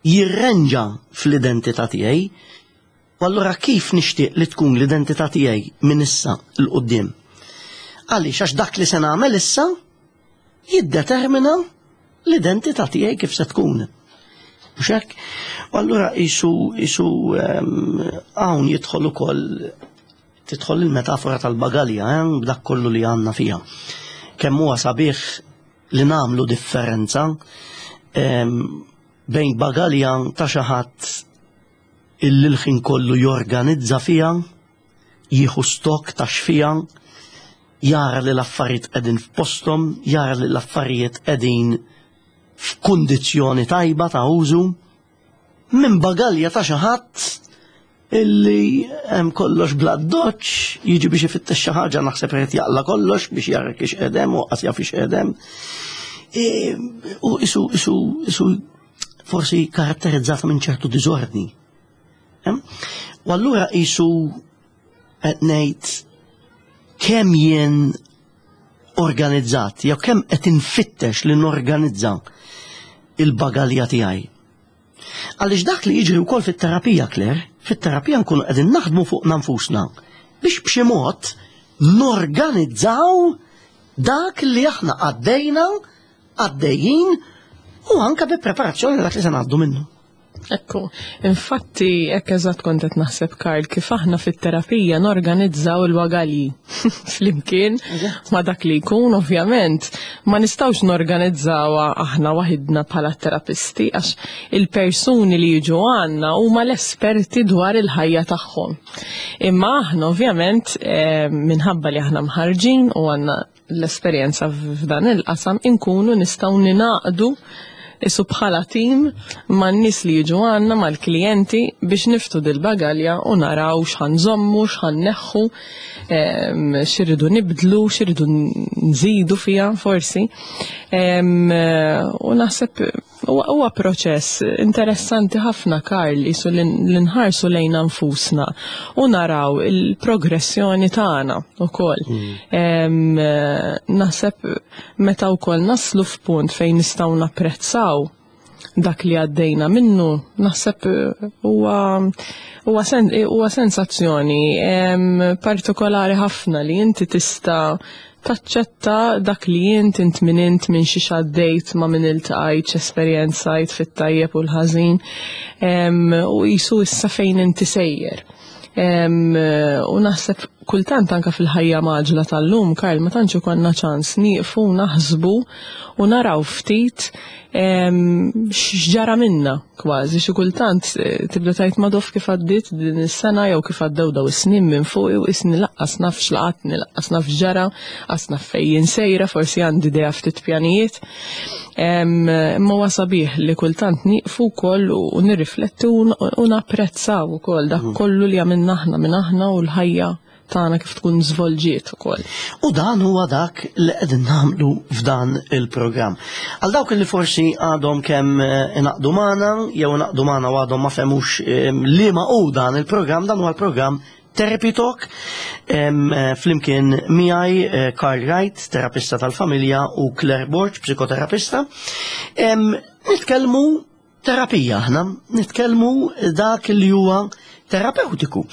jirrenġa fl-identità tiegħi, u allura kif nixtieq li tkun l-identità tiegħi minn issa 'l quddiem. Għaliex għax dak li se nagħmel issa jiddetermina l-identità tiegħi kif se tkun. Mhux hekk? U allura isu isu ehm, hawn jidħol ukoll tidħol il-metafora tal-bagalja eh, b'dak kollu li għandna fiha. Kemm huwa sabiħ li nagħmlu differenza ehm, bejn bagalja ta' xi ħadd illi l-ħin kollu jorganizza fiha jieħu stock ta' x'fiha, jara li l-affarijiet qegħdin f'posthom, jara li l-affarijiet qegħdin f'kundizzjoni tajba ta' użu, minn bagalja ta' xi ħadd illi hemm kollox bla doċ, jiġi biex ifittex xi ħaġa naħseb irid jaqla kollox biex jara kiex qedem u qas jaf ix qedem. E, u isu isu isu forsi karatterizzata minn ċertu diżordni. U allura qisu Qed ngħid kemm jien organizzat, jew kemm qed infittex li norganizza il-bagalja tiegħi. Għaliex dak li jiġri wkoll fit-terapija, Claire, fit-terapija nkunu qegħdin naħdmu fuq nfusna biex b'xi mod norganizzaw dak li aħna għaddejna, għaddejjin u anka bi preparazzjoni dak li se ngħaddu minnu. Ekku, infatti, hekk eżatt kont qed naħseb Karl kif aħna fit-terapija norganizzaw il-wagalji flimkien ma' dak li jkun ovvjament ma nistgħux norganizzawha aħna waħidna bħala terapisti għax il-persuni li jiġu għandna huma l-esperti dwar il-ħajja tagħhom. Imma aħna ovvjament eh, minħabba li aħna mħarġin u għandna l-esperjenza f'dan il-qasam inkunu nistgħu ninaqdu isu bħala tim man nies li jiġu għandna mal-klijenti biex niftu dil-bagalja u naraw x'ħan żommu, x'ħan neħħu, x'irridu nibdlu, x'irridu nżidu fiha forsi. U naħseb Huwa proċess interessanti ħafna Karl isu li nħarsu lejna nfusna u naraw il-progressjoni tagħna ukoll. Mm. Naħseb meta wkoll naslu f'punt fejn nistgħu napprezzaw dak li għaddejna minnu, naħseb huwa huwa sensazzjoni partikolari ħafna li inti tista' taċċetta dak li int, int min int, minn xiex għaddejt, ma' min iltqajt, x'esperjenzajt fit-tajjeb u l-ħażin, u qisu issa fejn inti sejjer. U naħseb kultant anka fil-ħajja maġla tal-lum, Karl, ma tantx ikollna ċans nieqfu naħsbu u naraw ftit x'ġara minna kważi xi kultant eh, tibda tgħid madof kif għaddiet din is-sena jew kif għaddew daw is-snin minn fuq u isni laqqas naf x'laqatni, laqqas naf x'ġara, qas naf fejn sejra, forsi għandi idea ftit pjanijiet. Imma huwa sabiħ li kultant nieqfu wkoll u nirriflettu u napprezzaw ukoll dak mm. kollu li għamilna aħna minn aħna u l-ħajja tagħna kif tkun żvolġiet ukoll. U dan huwa dak li qegħdin nagħmlu f'dan il-programm. Għal dawk li forsi għadhom kemm eh, inaqdu magħna jew inaqdu magħna u għadhom ma fehmux eh, liema hu dan il-programm, dan huwa l-programm Therapy Talk eh, flimkien miegħi Karl Wright, terapista tal-familja, u Claire Borg, psikoterapista. Nitkellmu terapija aħna, nitkellmu dak li huwa terapeutiku.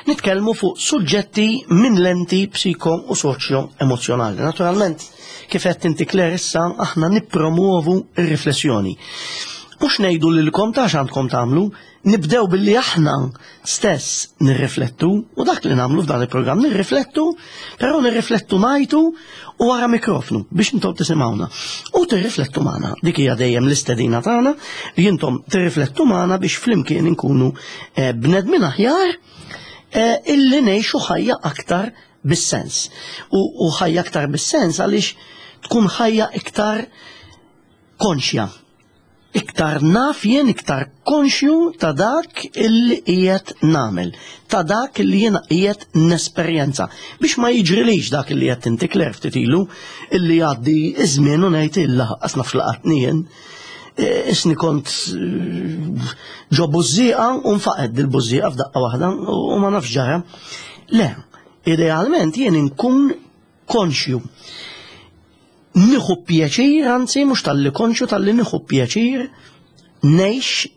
Nitkellmu fuq suġġetti minn lenti psiko u soċjo emozjonali. Naturalment, kif qed inti Claire issa aħna nippromuovu r-riflessjoni. Mhux ngħidu lilkom ta' x'għandkom tagħmlu, Nibdew billi aħna stess nirriflettu, u dak li nagħmlu f'dan il-programm nirriflettu, però nirriflettu ngħidu u wara mikrofnu biex intom tisimgħuna. U tirriflettu magħna. Dik hija dejjem l-istedina tagħna li intom tirriflettu magħna biex flimkien inkunu eh, bnedmin aħjar eh, illi ngħixu ħajja aktar bis-sens. U ħajja aktar bis-sens għaliex tkun ħajja iktar konxja Iktar naf jien, iktar konxju ta' dak illi qiegħed nagħmel, ta' dak illi jiena qiegħed nesperjenza. Biex ma jiġrilix dak illi qed inti Claire ftit ilu, illi jgħaddi iż-żmien u ngħid illa qas naf laqatni jien. E, isni kont e, ġo bużżieqa u nfaqed dil-bużżieqa f'daqqa waħda u ma nafx ġara. Le, idealment jien inkun konxju. Nieħu pjaċir, anzi mhux talli konxju talli nieħu pjaċir ngħix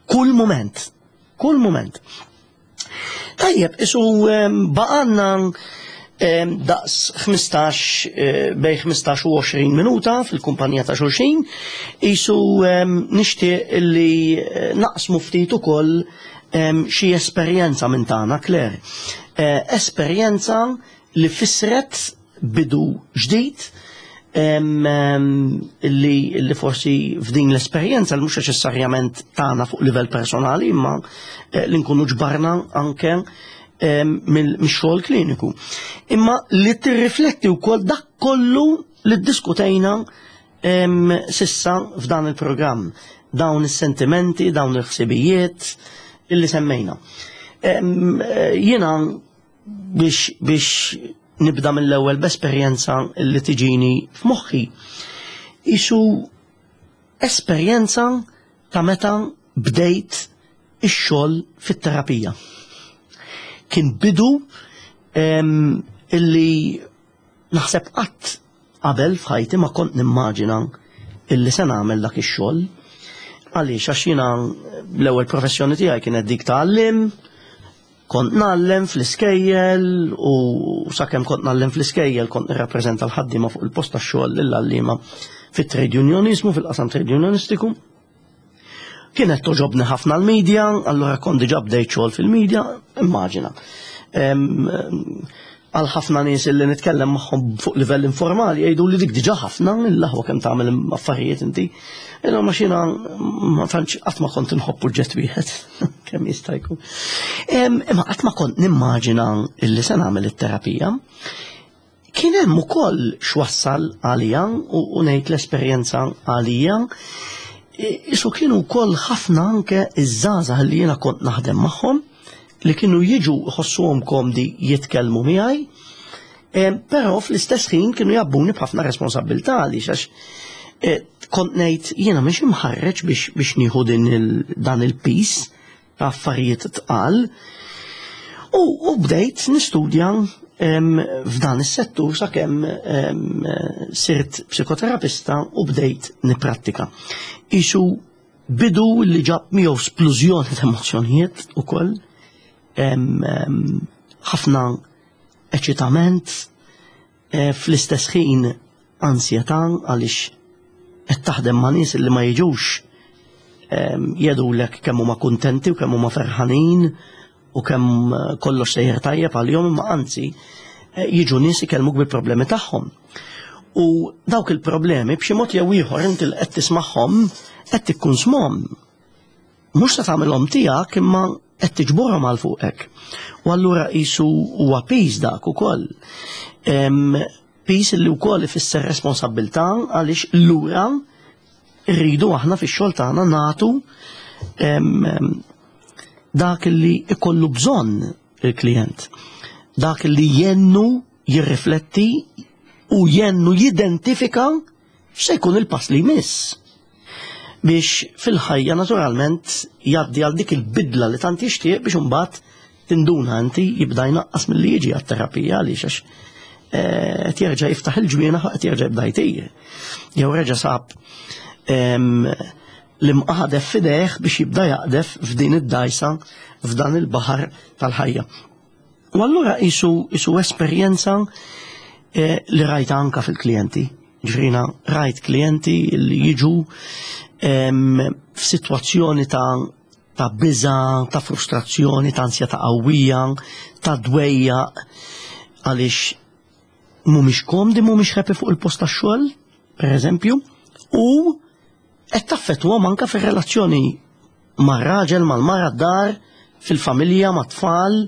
kull mument. Kull mument. Tajjeb, isu baqanna daqs 15 eh, bej 15 u 20 minuta fil-kumpanija ta' xulxin, isu nixtieq li eh, naqsmu ftit ukoll xi esperjenza minn tagħna, Claire. Eh, esperjenza li fissret bidu ġdid li, li forsi f'din l-esperjenza li mhux neċessarjament tagħna fuq livell personali imma eh, li nkunu ġbarna anke mix-xogħol kliniku. Imma li tirrifletti wkoll dak kollu li ddiskutejna sissa f'dan il-programm dawn is-sentimenti, dawn il-ħsibijiet illi semmejna. Eh, jiena biex biex nibda mill-ewwel b'esperjenza li tiġini f'moħħi. Isu esperjenza ta' meta bdejt ix-xogħol fit-terapija. Kien bidu illi naħseb qatt qabel f'ħajti ma kont nimmaġina illi se nagħmel dak ix-xogħol. Għaliex għax jiena l-ewwel professjoni tiegħi kienet dik ta' għallim, kont ngħallem fl-iskejjel u sakemm kont ngħallem fl-iskejjel kont nirrappreżenta l-ħaddiema fuq il-post tax-xogħol lill-għalliema fit-trade unionizmu, fil-qasam trade unionistiku. Kienet toġobni ħafna l-media, allura kont diġà bdejt xogħol fil-media, immaġina. Għal ħafna nies li nitkellem magħhom fuq livell informali jgħidu li dik diġà ħafna, l-aħwa kemm tagħmel affarijiet inti. Imma ma xina ma tantx qatt ma kont inħobb oġġett wieħed kemm jista' jkun. Imma qatt ma kont nimmaġina illi se nagħmel it-terapija. Kien hemm ukoll x'wassal għalija u ngħid l-esperjenza għalija. Isu kienu wkoll ħafna anke iż-żgħażagħ li jiena kont naħdem magħhom li kienu jiġu jħossuhom komdi jitkellmu miegħi, però fl-istess ħin kienu jabbuni b'ħafna responsabilità għaliex għax e, kont ngħid jiena mhix imħarreġ biex nieħu dan il-pis ta' affarijiet tqal. U bdejt nistudja f'dan is-settur sakemm sirt psikoterapista u bdejt niprattika. Isu bidu li ġab miegħu splużjoni ta' emozzjonijiet ukoll, ħafna eċitament, e, fl-istess ħin ansjetà għaliex qed taħdem ma' nies li ma jiġux jedulek kemm huma kuntenti u kemm huma ferħanin u kemm eh, kollox sejjer tajjeb għalihom imma anzi eh, jiġu nies ikellmuk bil-problemi tagħhom. U dawk il-problemi b'xi mod jew ieħor inti li qed tismagħhom qed tikkunsmhom. Mhux se tagħmilhom tiegħek imma qed tiġborhom għal fuqek. U allura qisu huwa piż dak ukoll. Piż li wkoll ifisser responsabbiltà għaliex lura rridu aħna fix-xogħol tagħna nagħtu dak li ikollu bżonn il-klient. Dak li jennu jirrifletti u jennu jidentifika x'se jkun il-pass li jmiss biex fil-ħajja naturalment jgħaddi għal dik il-bidla li tant jixtieq biex imbagħad tinduna inti jibda jnaqqas milli jiġi għat-terapija għaliex għax eh, qed jerġa' jiftaħ il-ġwienaħ qed jerġa' jibda jtir. Jew reġa' sab l-imqadef fidejh biex jibda jaqdef f'din id-dajsa f'dan il-baħar tal-ħajja. U allura isu isu esperjenza eh, li rajta anka fil-klijenti. Ġrina rajt klijenti li jiġu f'sitwazzjoni ta' ta' biża, ta' frustrazzjoni, ta' ansjetà qawwija, ta' dwejjaq għaliex mhumiex komdi, mhumiex happy fuq il-post tax-xogħol, per eżempju, u qed taffettwahom anke fir-relazzjoni mar-raġel, mal-mara d-dar, fil-familja, mat-tfal,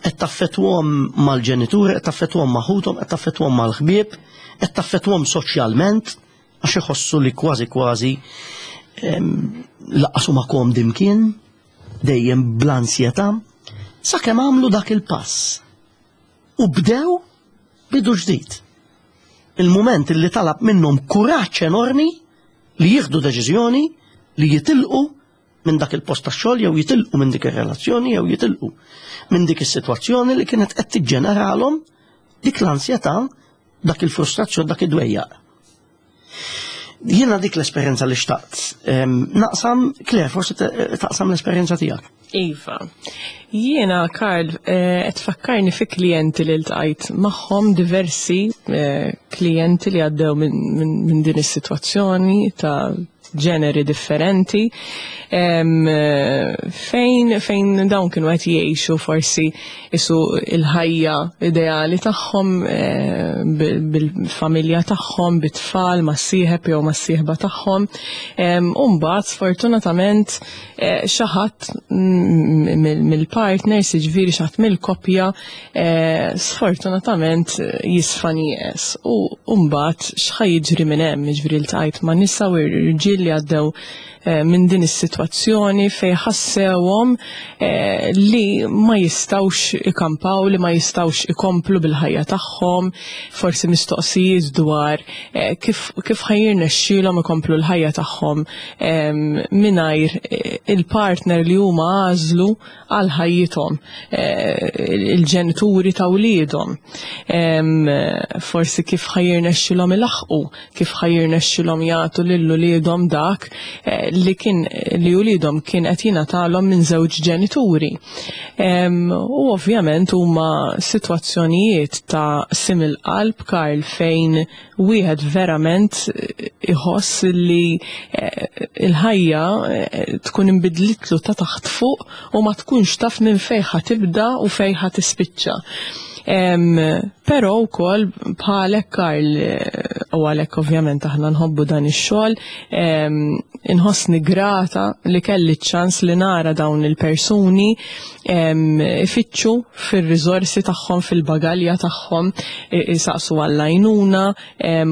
qed taffettwahom mal-ġenituri, qed taffettwahom ma' ħuthom, qed taffettwahom mal-ħbieb, qed taffettwahom soċjalment, għax iħossu li kważi kważi laqqas huma komdi mkien, dejjem bl-ansjetà, sakemm għamlu dak il-pass. U bdew bidu ġdid. Il-mument li talab minnhom kuraġġ enormi li jieħdu deċiżjoni li jitilqu minn dak il-post tax-xogħol jew jitilqu minn dik ir-relazzjoni jew jitilqu minn dik is-sitwazzjoni li kienet qed tiġġeneralhom dik l-ansjetà, dak il-frustrazzjoni, dak id-dwejjaq. Jiena dik l-esperjenza li xtaqt. Naqsam, Claire, forsi taqsam l-esperjenza tiegħek. Iva. Jiena, Karl, eh, qed tfakkarni fi klijenti li ltqajt magħhom diversi eh, klijenti li għaddew minn din is-sitwazzjoni ta' ġeneri differenti fejn fejn dawn kienu qed jgħixu forsi isu il-ħajja ideali tagħhom eh, bil-familja tagħhom, bit-tfal, mas-sieħeb jew mas-sieħba tagħhom. U mbagħad sfortunatament eh, xi ħadd mill-partners, jiġifieri xi ħadd mill-koppja Eh, sfortunatament eh, jisfa nieqes u mbagħad x'ħa jiġri minn hemm, jiġifieri ltqajt ma' nisa u rġiel li għaddew minn din is-sitwazzjoni fejn ħassewhom li ma jistgħux ikampaw, li ma jistgħux ikomplu bil-ħajja tagħhom, forsi mistoqsijiet dwar kif kif ħa jirnexxielhom ikomplu l-ħajja tagħhom mingħajr il-partner li huma għażlu għal ħajjithom, il-ġenituri ta' wliedhom. Forsi kif ħa jirnexxielhom ilaħħqu, kif ħa jirnexxielhom jagħtu lil uliedhom dak li kien li uliedhom kien qed jingħatalhom minn żewġ ġenituri. U ovvjament huma sitwazzjonijiet ta' qsim il-qalb, Karl, fejn wieħed verament iħoss li l-ħajja tkun inbidlitlu ta' taħt fuq u ma tkunx taf minn fejn ħa tibda u fejn ħa tispiċċa. Però wkoll bħalek Karl, u għalhekk ovvjament aħna nħobbu dan ix-xogħol, inħossni grata li kelli ċ-ċans li nara dawn il-persuni ifittxu fir-riżorsi tagħhom, fil-bagalja tagħhom, isaqsu għall-għajnuna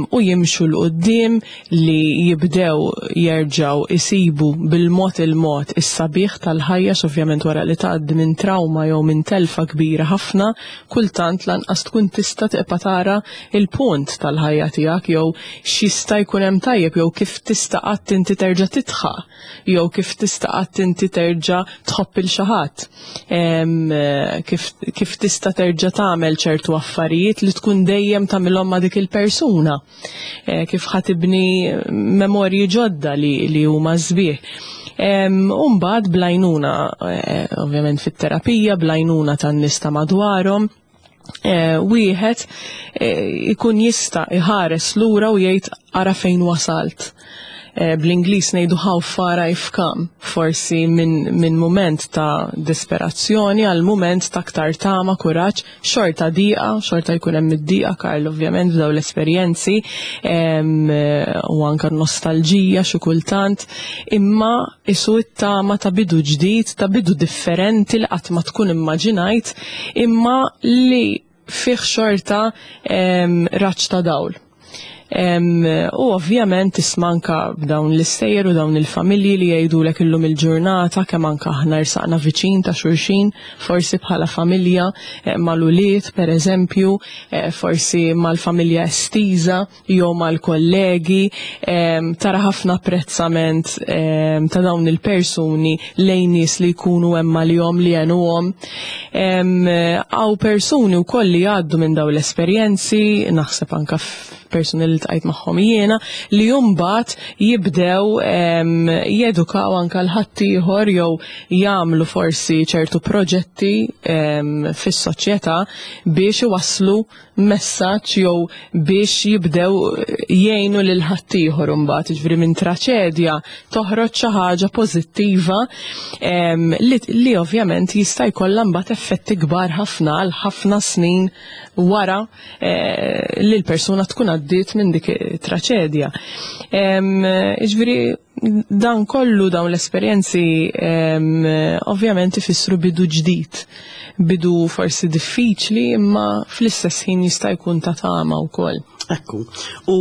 u jimxu 'l quddiem li jibdew jerġgħu isibu bil-mod il-mod is-sabiħ tal-ħajja x'ovvjament wara li tgħaddi minn trawma jew minn telfa kbira ħafna, kultant lanqas tkun tista' tibqa' tara il-punt tal-ħajja tiegħek jew x'jista' jkun hemm tajjeb jew kif tista' qatt inti terġa' tidħaq jew kif tista' qatt inti terġa' tħobb il xi ħadd. Kif, kif tista' terġa' tagħmel ċertu affarijiet li tkun dejjem tagħmilhom ma' dik il-persuna. Kif ħa tibni memorji ġodda li, li huma sbieħ. U mbagħad bl-għajnuna, ovvjament fit-terapija, bl-għajnuna tan-nies ta' madwarhom, wieħed ikun jista' iħares lura u jgħid ara fejn wasalt. Bl-Ingliż ngħidu how far I've come, forsi minn min mument ta' disperazzjoni għal mument ta' aktar tama, kuraġġ, xorta diqa, xorta jkun hemm id-diqa Karl ovvjament f'daw l-esperjenzi u anka nostalġija xi kultant, imma isu it-tama ta' bidu ġdid, ta' bidu differenti li qatt ma tkun immaġinajt, imma li fih xorta raġġ ta' dawl. U ovvjament tisma' anka b'dawn l-istejjer u dawn il-familji li jgħidulek illum il-ġurnata kemm anka aħna rsaqna viċin ta' xulxin, forsi bħala familja mal-ulied pereżempju, forsi mal-familja estiża jew mal-kollegi, tara ħafna apprezzament ta' dawn il-persuni lejn nies li jkunu hemm għalihom li għenuhom. Hawn persuni wkoll li jgħaddu minn dawn l-esperjenzi, naħseb anka persuni li ltqajt magħhom jiena, li mbagħad jibdew jedukaw anka l-ħaddieħor jew jagħmlu forsi ċertu proġetti fis-soċjetà biex iwasslu messaġġ jew biex jibdew jgħinu lil ħaddieħor imbagħad, jiġifieri minn traċedja toħroġ xi ħaġa pożittiva li, li ovvjament jista' jkollha mbagħad effetti kbar ħafna għal ħafna snin wara li l-persuna tkun għaddiet minn dik it-traċedja. Jiġifieri dan kollu dawn l-esperjenzi ovvjament ifissru bidu ġdid, bidu forsi diffiċli imma fl-istess ħin jista' jkun ta' tama wkoll. Ekku, u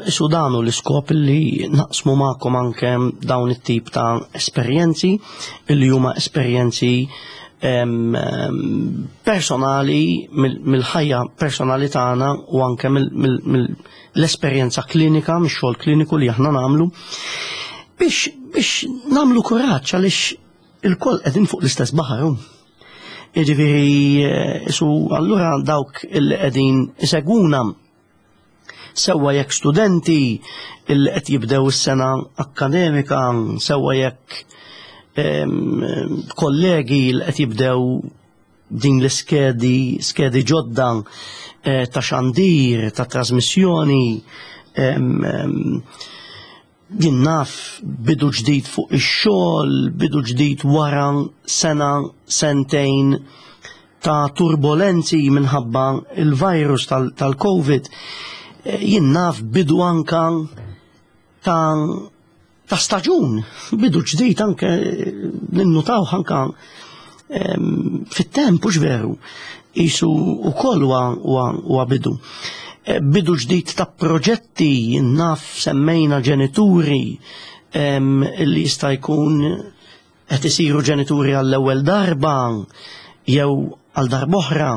isu dan hu l-iskop li naqsmu magħkom anke dawn it-tip ta' esperjenzi li huma esperjenzi personali mill-ħajja personali tagħna u anke mill-esperjenza klinika, mix-xogħol kliniku li aħna nagħmlu biex biex nagħmlu kuraġġ għaliex ilkoll qegħdin fuq l-istess baħar. Jiġifieri isu allura dawk il qegħdin isegwuna sewwa jekk studenti il qed jibdew is-sena akkademika, sewwa jekk kollegi li qed jibdew din l-iskedi, skedi ġodda ta' xandir, ta' trasmissjoni, jien naf bidu ġdid fuq ix-xogħol, bidu ġdid wara sena, sentejn ta' turbolenzi minħabba il-virus tal-COVID. Jien naf bidu anka ta' staġun, bidu ġdid anke ninnutaw anka fit-temp, hux veru, qisu wkoll huwa bidu. Bidu ġdid ta' proġetti, naf semmejna ġenituri, li jista' jkun qed isiru ġenituri għall-ewwel darba jew għal darb'oħra,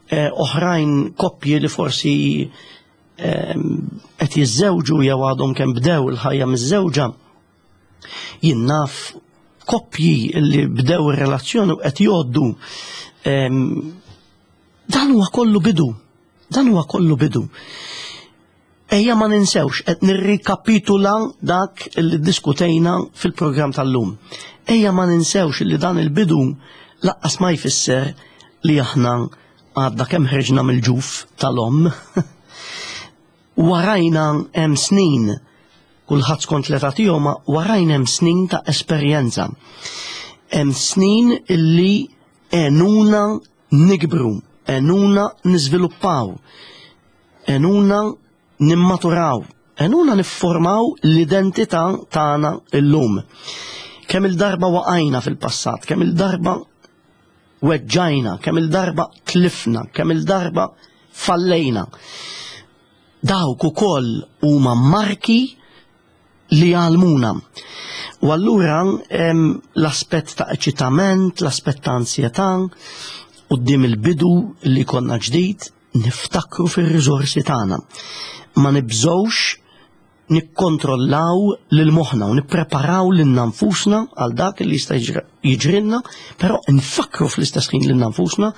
eh, oħrajn koppji li forsi qed jiżżewġu jew għadhom kemm bdew il-ħajja miż-żewġa. Jien naf koppji li bdew ir-relazzjoni u qed jgħoddu dan huwa kollu bidu. Dan huwa kollu bidu. Ejja ma ninsewx qed nirrikapitula dak li ddiskutejna fil-programm tal-lum. Ejja ma ninsewx li dan il-bidu laqqas ma jfisser li aħna għadna kemm ħriġna mill-ġuf tal-omm. Warajna hemm snin, kulħadd skont l-età tiegħu ma warajna hemm snin ta' esperjenza. Hemm snin illi għenuna nikbru, għenuna niżviluppaw, għenuna nimmaturaw, għenuna nifformaw l-identità tagħna illum. Kemm il-darba waqajna fil-passat, kemm il-darba weġġajna, kemm il-darba tlifna, kemm il-darba fallejna. Dawk ukoll huma marki li jgħallmuna. U allura l-aspett ta' eċitament, l-aspett ta' ansjetà, quddiem il-bidu li konna ġdid, niftakru fir-riżorsi tagħna. Ma nibżgħux nikkontrollaw lil moħħna u nippreparaw lilna nfusna għal dak li jista' jiġrilna, però nfakru fl-istess ħin lilna nfusna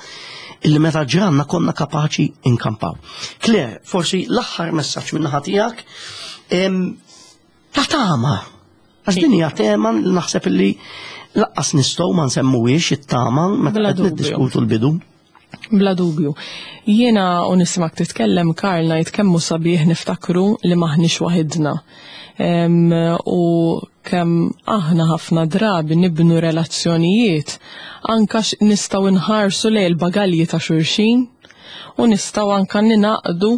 illi meta ġranna konna kapaċi inkampaw. Claire, forsi l-aħħar messaġġ minn naħa tiegħek ta' tama. Għax din hija tema li naħseb illi laqqas nistgħu ma nsemmuhiex it-tama meta qed niddiskutu l-bidu. Bla dubju. Jiena u nismak titkellem Karl ngħid kemm hu sabiħ niftakru li m'aħniex waħidna. U kemm aħna ħafna drabi nibnu relazzjonijiet anka nistgħu nħarsu lejn il-bagalji ta' xulxin u nistgħu anka ninaqdu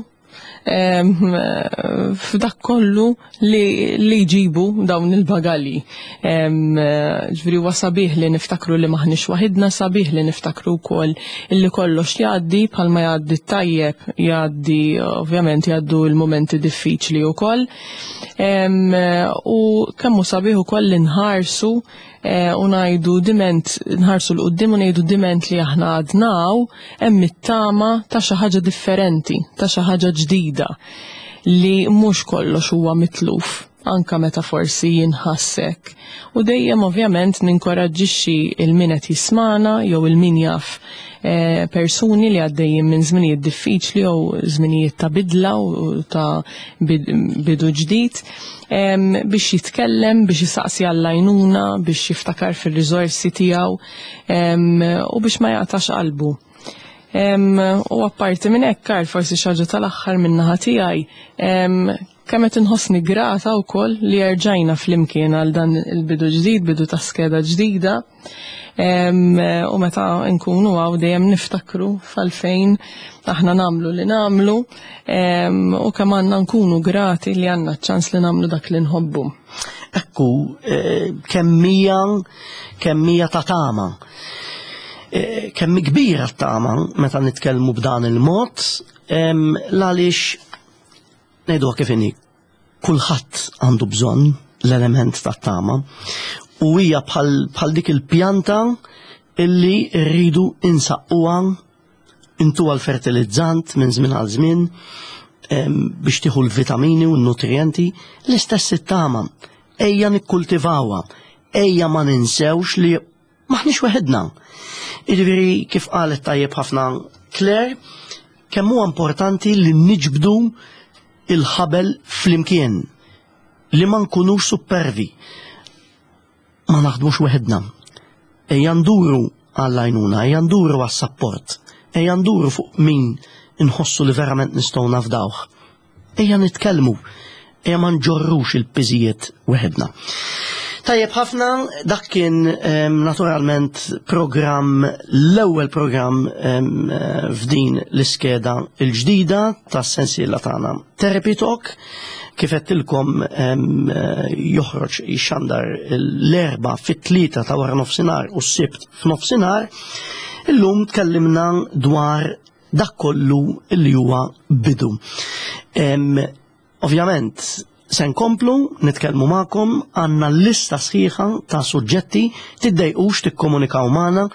f'dak kollu li jġibu dawn il-bagalji. Ġifieri huwa sabiħ li niftakru li maħniex waħidna, sabiħ li niftakru wkoll illi kollox jgħaddi bħalma jgħaddi t-tajjeb, jgħaddi ovvjament jgħaddu l-mumenti diffiċli wkoll. U kemm hu sabiħ ukoll li nħarsu eh, u ngħidu diment nħarsu l qudiem u ngħidu diment li aħna għadnaw hemm it-tama ta' xi ħaġa differenti, ta' xi ħaġa ġdida li mhux kollox huwa mitluf anka meta forsi jinħassek. U dejjem ovvjament ninkoraġġixxi il-min qed jismana jew il-min jaf eh, persuni li għaddejjin minn żminijiet diffiċli jew żminijiet ta' bidla u ta' bidu ġdid biex jitkellem, biex jisaqsi għall-għajnuna, biex jiftakar fir-riżorsi tiegħu u biex ma jaqtax qalbu. U apparti minn hekk, Karl, forsi xi ħaġa tal-aħħar min-naħa tiegħi, kemm qed inħossni grata wkoll li erġajna flimkien għal dan il-bidu ġdid, bidu ta' skeda ġdida. U meta nkunu għaw dejjem niftakru falfejn aħna namlu li namlu u kemm għandna nkunu grati li għandna ċans li namlu dak li nħobbu. Ekku, eh, kemmija kemmija ta' tama. Eh, kemm kbira tama meta nitkellmu b'dan il-mod, l-għaliex ngħiduha kif inhi, kulħadd għandu bżonn l-element tat-tama u hija bħal dik il-pjanta illi rridu insaqquha intuha l-fertilizzant minn żmien għal żmien biex tieħu l-vitamini u n-nutrijenti, l-istess it-tama. Ejja nikkultivawha, ejja ma ninsewx li maħniex weħidna. Jiġifieri kif qalet tajjeb ħafna Claire, kemm huwa importanti li niġbdu il-ħabel flimkien, li ma nkunux supervi, ma naħdmux weħidna. Ejja nduru għall-għajnuna, ejja nduru għas-sapport, ejja nduru fuq min inħossu li verament nistgħu nafdawh. Ejja nitkellmu, ejja ma nġorrux il-piżijiet weħidna. Tajjeb ħafna, dak kien ehm, naturalment programm, l-ewwel programm ehm, f'din l-iskeda l-ġdida tas-sensiela tagħna. Therapy Talk, kif għedtilkom ehm, joħroġ jixxandar l-erba fit-tlieta ta' wara nofsinhar u s-sibt f'nofsinhar, illum tkellimna dwar dak kollu li huwa bidu. Ovvjament, Se nkomplu nitkellmu magħkom għandna lista sħiħa ta' suġġetti tiddejqux tikkomunikaw magħna,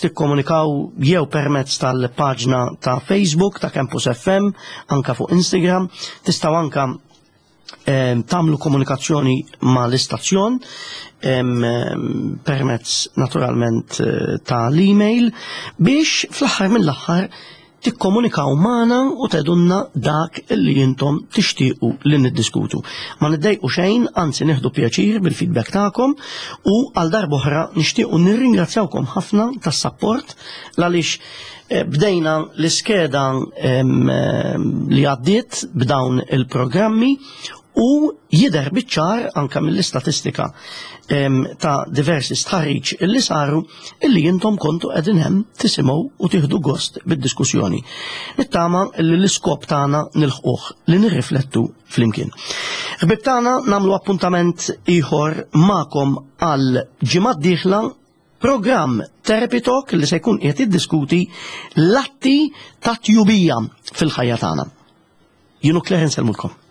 tikkomunikaw jew permezz tal-paġna ta' Facebook ta' Campus FM, anka fuq Instagram, tistgħu anka tagħmlu komunikazzjoni ma' l-istazzjon permezz naturalment eh, ta' l-email biex fl-aħħar mill-aħħar tikkomunikaw magħna u tgħidulna dak li intom tixtiequ li niddiskutu. Ma niddejqu xejn, anzi nieħdu pjaċir bil-feedback tagħkom u għal darb'oħra nixtiequ nirringrazzjawkom ħafna tas-sapport għaliex eh, bdejna l-iskeda li għaddiet b'dawn il-programmi u jidher biċ-ċar anka mill-istatistika ta' diversi stħarriġ illi saru illi intom kontu qegħdin hemm tisimgħu u tieħdu gost bid-diskussjoni. Nittama li l-iskop tagħna nilħquh li nirriflettu flimkien. Ħbib tagħna nagħmlu appuntament ieħor magħkom għal ġimgħa d-dieħla programm Therapy Talk li se jkun qiegħed jiddiskuti l-atti ta' tjubija fil-ħajja tagħna. Jien u Claire nsellmulkom.